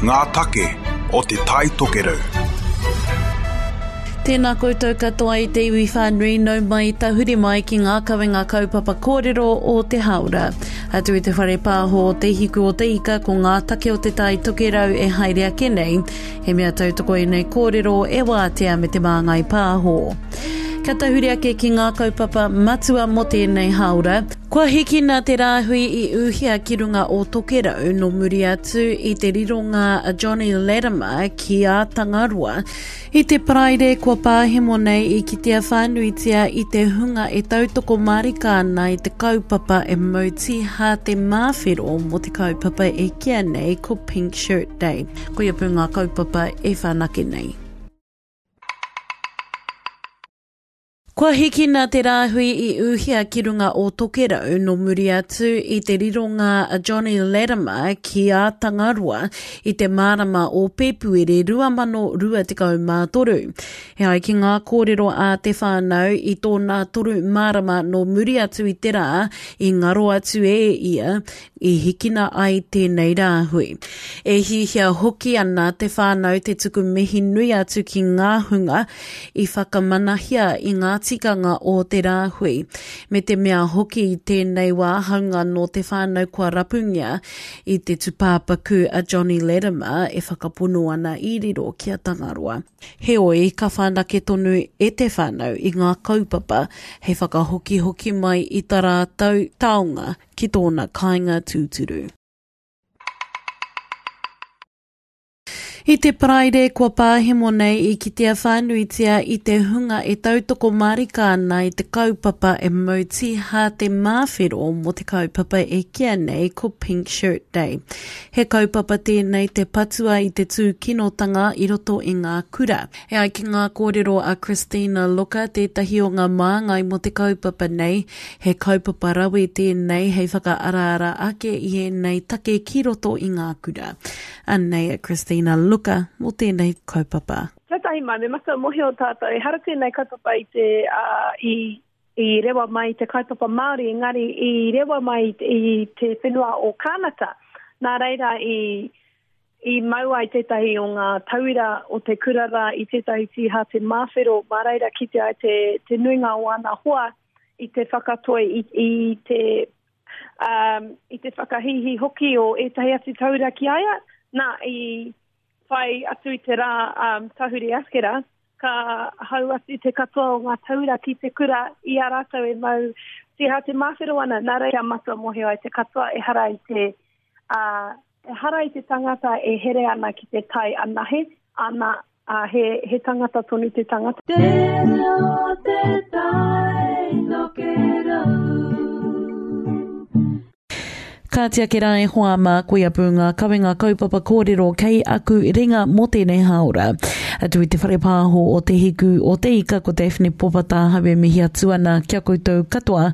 Ngā take o Te Tai Tokerau. Tēnā koutou katoa i te iwi whānui nau mai tahuri mai ki ngā kawenga kaupapa kōrero o te hāora. Atu i te whare pāho o Te Hiku o Te Ika ko ngā take o Te Tai Tokerau e haere ake nei. He mea tautoko ēnei kōrero e Wātea me Te Māngai Pāho. Kia tahuri ake ki ngā kaupapa matua mō tēnei hāora. Kua hikina te rāhui i ūhia ki runga o Tokerau nō muri atu i te rironga a Johnny Latimer ki a Tangaroa. I te Paraire kua pāhemo nei i kitea whānuitia i te hunga e tautoko mārika ana i te kaupapa e mau tīhā te māwhero mō te kaupapa e kīa nei ko Pink Shirt Day. Koia pū ngā kaupapa e whanake nei. Kua hikina te rāhui i ūhia ki runga o Tokerau nō muri atu i te rironga a Johnny Latimer ki a Tangaroa i te marama o Pēpuere 2023. E ai ki ngā kōrero a te whānau i tōna toru marama nō muri atu i te rā i ngaro atu e ia i hikina ai tēnei rāhui. E hiahia hoki ana te whānau te tuku mihi nui atu ki ngā hunga i whakamanahia i ngā tikanga o te rāhui, me te mea hoki i tēnei wā haunga nō te whānau kua rapungia i te tupāpaku a Johnny Latimer e whakapono ana i riro ki a Tangaroa. Heoi, ka whanake tonu e te whānau i ngā kaupapa hei whakahokihoki mai i ta rātou taonga ki tōna kāinga tūturu. I te Paraire kua pāhemo nei i kitea whānuitia i te hunga e tautoko mārika ana i te kaupapa e mau tīhā te māwhero mō te kaupapa e kīa nei ko Pink Shirt Day. He kaupapa tēnei te patua i te tūkinotanga i roto i ngā kura. E ai ki ngā kōrero a Christina Looker, tētahi o ngā māngai mō te kaupapa nei, He kaupapa rawe tēnei hei whakaaraara ake i ēnei take ki roto i ngā kura. Anei a Christina Looker mō tēnei kaupapa. Tuatahi mai, me matua mohio tātou, ehara tēnei kaupapa i te, uh, i, i rewa mai i te kaupapa Māori, engari i rewa mai i te whenua o Kānata. Nā reira i, i mau ai tētahi o ngā tauira o te kura rā i tētahi tīhāte māwhero, mā reira kite ai te, te nuinga o ana hoa i te whakatoi, i, i te um, i te whakahīhī hoki o ētahi atu taura ki a ia. Nā, i whai atu i te rā um, tahuri askera, ka hau atu te katoa o ngā taura ki te kura i a rātou e mau tīhā te māwhero ana. Nā reira matua mohio ai te katoa ehara i te, uh, ehara i te tangata e here ana ki te tai anahe, ana, ā, he, he tangata tonu te tangata. Te reo o te tai tokerau. Kāti ake rā e hoa mā, koia pū ngā kawenga kaupapa kōrero kei aku ringa mō tēnei hāora. Atu i te whare pāho o Te Hiku o Te Ika ko Daphne Popatahau e mihi atu ana ki a koutou katoa.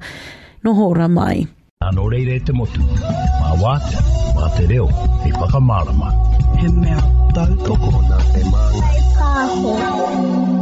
Noho ora mai. Nā nō reira e te motu, mā Wātea, mā te reo hei whakamārama. He mea tautoko nā te māngai pāho.